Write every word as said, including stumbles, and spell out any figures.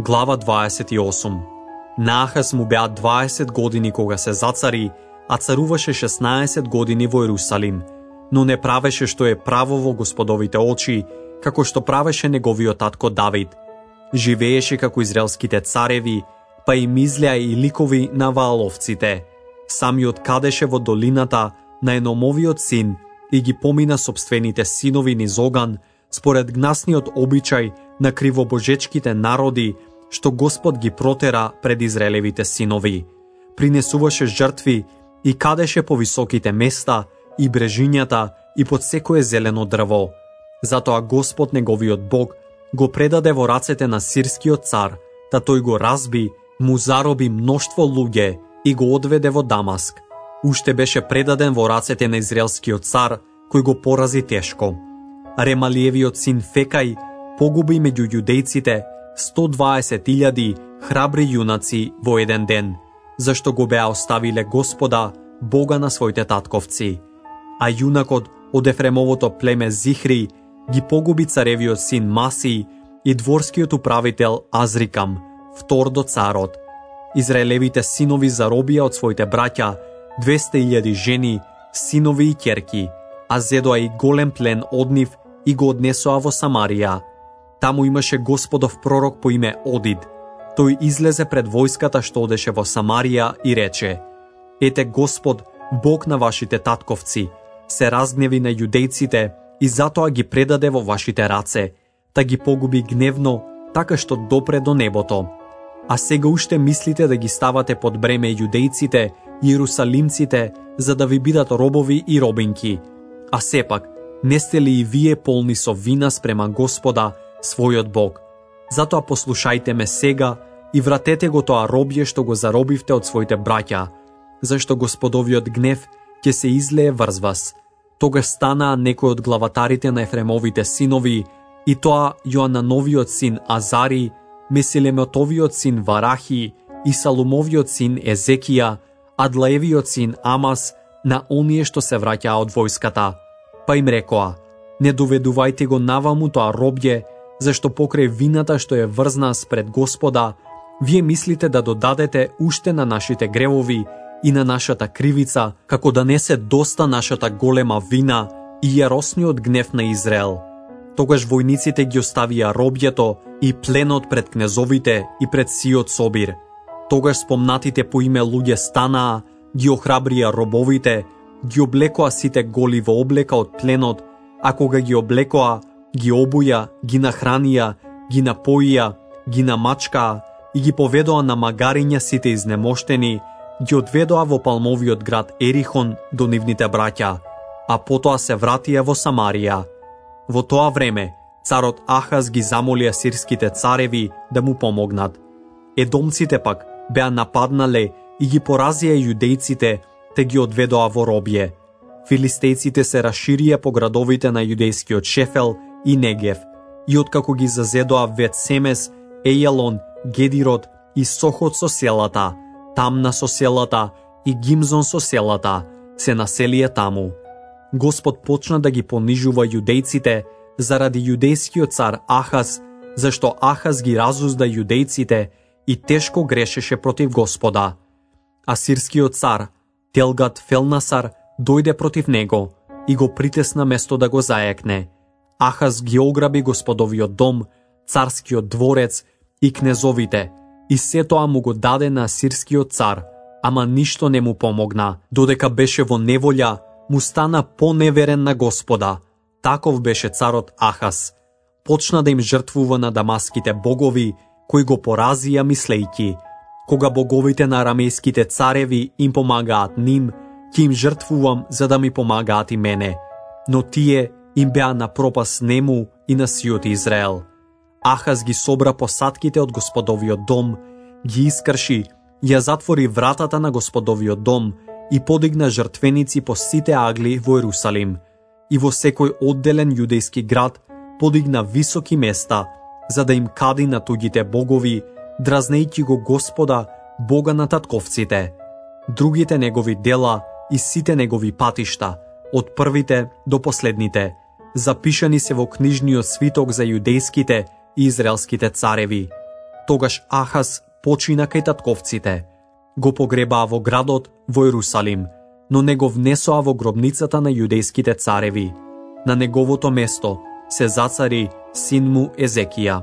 Глава дваесет и осум. На Ахаз му беа дваесет години кога се зацари, а царуваше шеснаесет години во Ерусалим, но не правеше што е право во Господовите очи, како што правеше неговиот татко Давид. Живееше како израелските цареви, па им излеа и ликови на вааловците. Самиот кадеше во долината на Еномовиот син и ги помина собствените синови низ оган, според гнасниот обичај на кривобожечките народи, што Господ ги протера пред Израелевите синови. Принесуваше жртви и кадеше по високите места и брежињата и под секое зелено дрво. Затоа Господ неговиот Бог го предаде во рацете на сирскиот цар, та тој го разби, му зароби мноштво луѓе и го одведе во Дамаск. Уште беше предаден во рацете на израелскиот цар, кој го порази тешко. Ремалиевиот син Фекај погуби меѓу јудејците сто дваесет илјади храбри јунаци во еден ден, зашто го беа оставиле Господа, Бога на своите татковци. А јунакот од Ефремовото племе Зихри ги погуби царевиот син Маси и дворскиот управител Азрикам, втор до царот. Израелевите синови заробија од своите браќа двесте илјади жени, синови и ќерки, а зедоа и голем плен од нив и го однесоа во Самарија. Таму имаше Господов пророк по име Одид. Тој излезе пред војската што одеше во Самарија и рече: Ете Господ, Бог на вашите татковци, се разгневи на јудејците и затоа ги предаде во вашите раце, та ги погуби гневно, така што допре до небото. А сега уште мислите да ги ставате под бреме јудејците и ерусалимците, за да ви бидат робови и робинки. А сепак, не сте ли и вие полни со вина спрема Господа, својот Бог? Затоа послушајте ме сега и вратете го тоа робје што го заробивте од своите браќа, зашто Господовиот гнев ќе се излее врз вас. Тогаш станаа некои од главатарите на Ефремовите синови, и тоа Јоанановиот син Азари, Месилеметовиот син Варахи и Салумовиот син Езекија, Адлаевиот син Амас, на оние што се враќаа од војската. Па им рекоа: не доведувајте го наваму тоа робје, зашто покрај вината што е врзна спред Господа, вие мислите да додадете уште на нашите гревови и на нашата кривица, како да не се доста нашата голема вина и јаросниот гнев на Израел. Тогаш војниците ги оставија робјето и пленот пред кнезовите и пред сиот собир. Тогаш спомнатите по име луѓе станаа, ги охрабрија робовите, ги облекоа сите голи во облека од пленот, а кога ги облекоа, ги обуја, ги нахранија, ги напоија, ги намачкаа и ги поведоа на магариња сите изнемоштени, ги одведоа во палмовиот град Ерихон до нивните браќа, а потоа се вратија во Самарија. Во тоа време, царот Ахаз ги замоли асирските цареви да му помогнат. Едомците пак беа нападнале и ги поразија јудејците, те ги одведоа во робје. Филистејците се расширија по градовите на јудејскиот Шефел и Негев, и откако ги зазедоа Вет Семес, Ејалон, Гедирот и Сохот со селата, Тамна со селата и Гимзон со селата, се населија таму. Господ почна да ги понижува јудејците заради јудејскиот цар Ахаз, зашто Ахаз ги разузда јудејците и тешко грешеше против Господа. Асирскиот цар Телгат Фелнасар дојде против него и го притесна место да го заекне. Ахаз ги ограби Господовиот дом, царскиот дворец и кнезовите, и се тоа му го даде на асирскиот цар, ама ништо не му помогна. Додека беше во неволја, му стана поневерен на Господа. Таков беше царот Ахаз. Почна да им жртвува на дамаските богови, кои го поразија мислејќи: кога боговите на арамејските цареви им помагаат ним, ќе им жртвувам за да ми помагаат и мене. Но тие им беа на пропас нему и на сиот Израел. Ахаз ги собра посадките од Господовиот дом, ги искрши, ја затвори вратата на Господовиот дом и подигна жртвеници по сите агли во Ерусалим. И во секој одделен јудејски град подигна високи места, за да им кади на туѓите богови, дразнејќи го Господа, Бога на татковците. Другите негови дела и сите негови патишта, од првите до последните, запишани се во книжниот свиток за јудејските и израелските цареви. Тогаш Ахаз почина кај татковците. Го погребаа во градот во Ерусалим, но не го внесоа во гробницата на јудејските цареви. На неговото место се зацари син му Езекија.